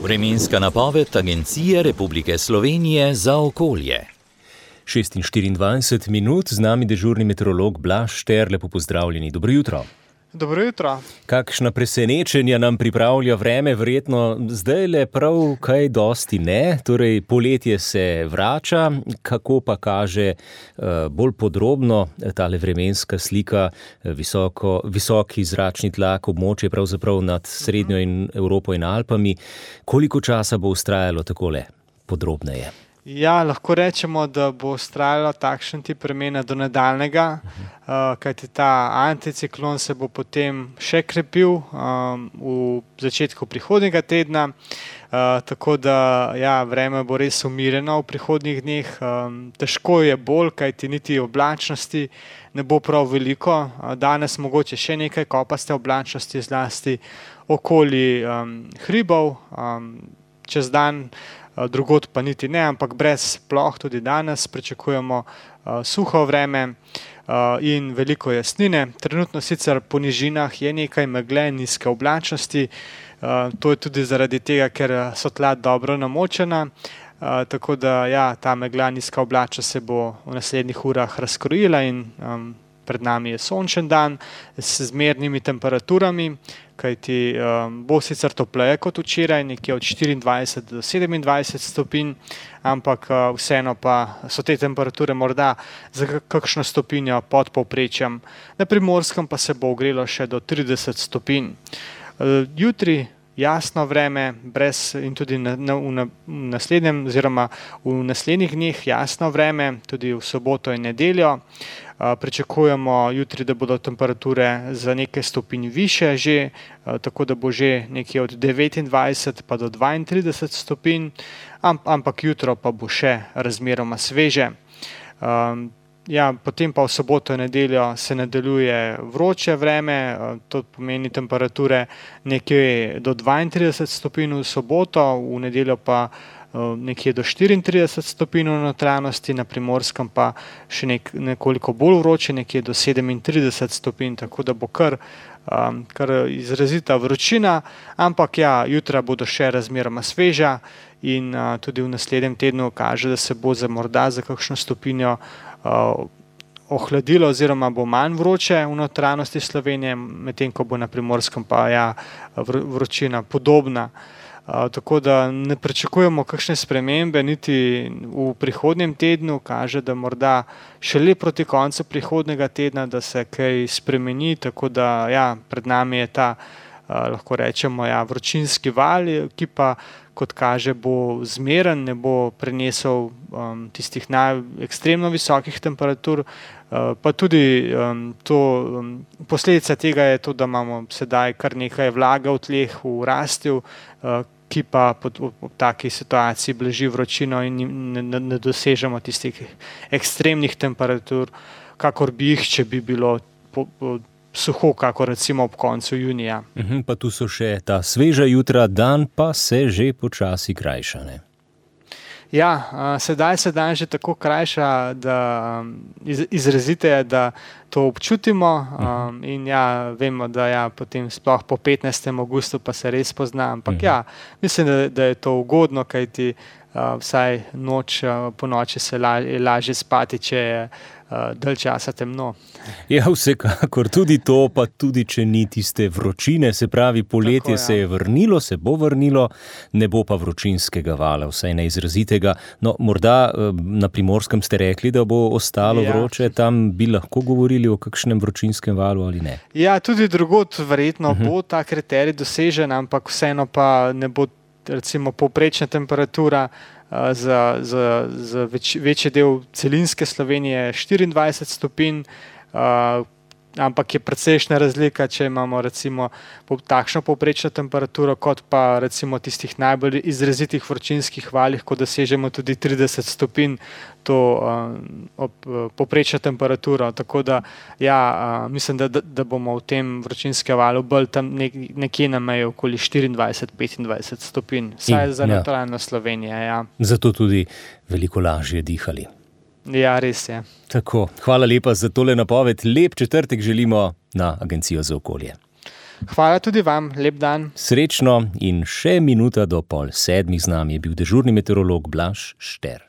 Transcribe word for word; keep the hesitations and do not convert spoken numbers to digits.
Vremenska napoved Agencije Republike Slovenije za okolje. šest in štiriindvajset minut, z nami dežurni meteorolog Blaž Šter, lepo pozdravljeni, dobro jutro. Dobro jutro. Kakšna presenečenja nam pripravlja vreme, verjetno zdaj le prav kaj dosti ne, torej poletje se vrača, kako pa kaže bolj podrobno tale vremenska slika, visoko, visoki zračni tlak, območje pravzaprav nad Srednjo in Evropo in Alpami, koliko časa bo vztrajalo takole podrobneje? Ja, lahko rečemo, da bo vztrajalo takšen tip vremena do nadaljnega, uh, kajti ta anticiklon se bo potem še krepil um, v začetku prihodnjega tedna, uh, tako da ja, vreme bo res umirjeno v prihodnjih dneh. Um, težko je bolj, kajti niti oblačnosti ne bo prav veliko. Uh, danes mogoče še nekaj kopaste oblačnosti, zlasti okoli um, hribov, um, čez dan. Drugod pa niti ne, ampak brez ploh tudi danes pričakujemo uh, suho vreme uh, in veliko jasnine. Trenutno sicer po nižinah je nekaj megle, nizke oblačnosti, uh, to je tudi zaradi tega, ker so tla dobro namočena, uh, tako da ja, ta megla, nizka oblačnost se bo v naslednjih urah razkrojila in um, pred nami je sončen dan s zmernimi temperaturami, kajti um, bo sicer topleje kot včeraj, nekje od štiriindvajset do sedemindvajset stopinj, ampak uh, vseeno pa so te temperature morda za kakšno stopinjo pod povprečjem. Na Primorskem pa se bo ogrelo še do trideset stopinj. Uh, jutri jasno vreme, brez in tudi na, na, v, v naslednjem oziroma v naslednjih dneh jasno vreme, tudi v soboto in nedeljo. Uh, pričakujemo jutri, da bodo temperature za nekaj stopinj više že, uh, tako da bo že nekje od devetindvajset pa do dvaintrideset stopinj, amp, ampak jutro pa bo še razmeroma sveže. Um, ja, potem pa v soboto in nedeljo se nadaljuje vroče vreme, uh, to pomeni temperature nekje do dvaintrideset stopinj v soboto, v nedeljo pa nekje do štiriintrideset stopinj v notranjosti, na Primorskem pa še nek, nekoliko bolj vroče, nekje do sedemintrideset stopinj, tako da bo kar, um, kar izrazita vročina, ampak ja, jutra bodo še razmeroma sveža in uh, tudi v naslednjem tednu kaže, da se bo za morda za kakšno stopinjo uh, ohladilo oziroma bo manj vroče v notranjosti Slovenije, medtem ko bo na Primorskem pa ja, vročina podobna. Uh, tako da ne pričakujemo kakšne spremembe niti v prihodnjem tednu, kaže, da morda šele proti koncu prihodnjega tedna, da se kaj spremeni, tako da ja, pred nami je ta, uh, lahko rečemo, ja, vročinski val, ki pa, kot kaže, bo zmeren, ne bo prenesel um, tistih naj ekstremno visokih temperatur, uh, pa tudi um, to, um, posledica tega je to, da imamo sedaj kar nekaj vlage v tleh, v rastju, uh, ki pa pod, v, v taki situaciji blaži vročino in ne, ne, ne dosežemo tistih ekstremnih temperatur, kakor bi jih, če bi bilo po, po, suho, kakor recimo ob koncu junija. Uhum, pa tu so še ta sveža jutra, dan pa se že počasi krajša, ne? Ja, uh, sedaj se dan že tako krajša, da um, iz, izrazite je, da to občutimo um, in ja, vemo, da ja, potem sploh po petnajstem avgustu pa se res pozna, ampak ja, mislim, da, da je to ugodno, kajti uh, vsaj noč, uh, po noči se la, je lažje spati, če je uh, dalj časa temno. Ja, vsekakor, tudi to, pa tudi če ni tiste vročine, se pravi, poletje Tako, ja. se je vrnilo, se bo vrnilo, ne bo pa vročinskega vala, vsaj neizrazitega. No, morda na Primorskem ste rekli, da bo ostalo ja. vroče, tam bi lahko govorili o kakšnem vročinskem valu ali ne? Ja, tudi drugod verjetno uh-huh. bo ta kriterij dosežen, ampak vseeno pa ne bo recimo povprečna temperatura uh, za, za, za več, večji del celinske Slovenije štiriindvajset stopinj, Uh, ampak je precejšnja razlika, če imamo recimo takšno povprečno temperaturo, kot pa recimo tistih najbolj izrazitih vročinskih valih, ko dosežemo tudi trideset stopinj to uh, povprečno temperaturo. Tako da ja, uh, mislim, da, da bomo v tem vročinskem valu bolj tam nek, nekje na meji okoli štiriindvajset do petindvajset stopinj, saj za notranjo ja. Slovenijo. Ja. Zato tudi veliko lažje dihali. Ja, res je. Tako, hvala lepa za tole napoved. Lep četrtek želimo na Agencijo za okolje. Hvala tudi vam, lep dan. Srečno in še minuta do pol sedmih z nami je bil dežurni meteorolog Blaž Šter.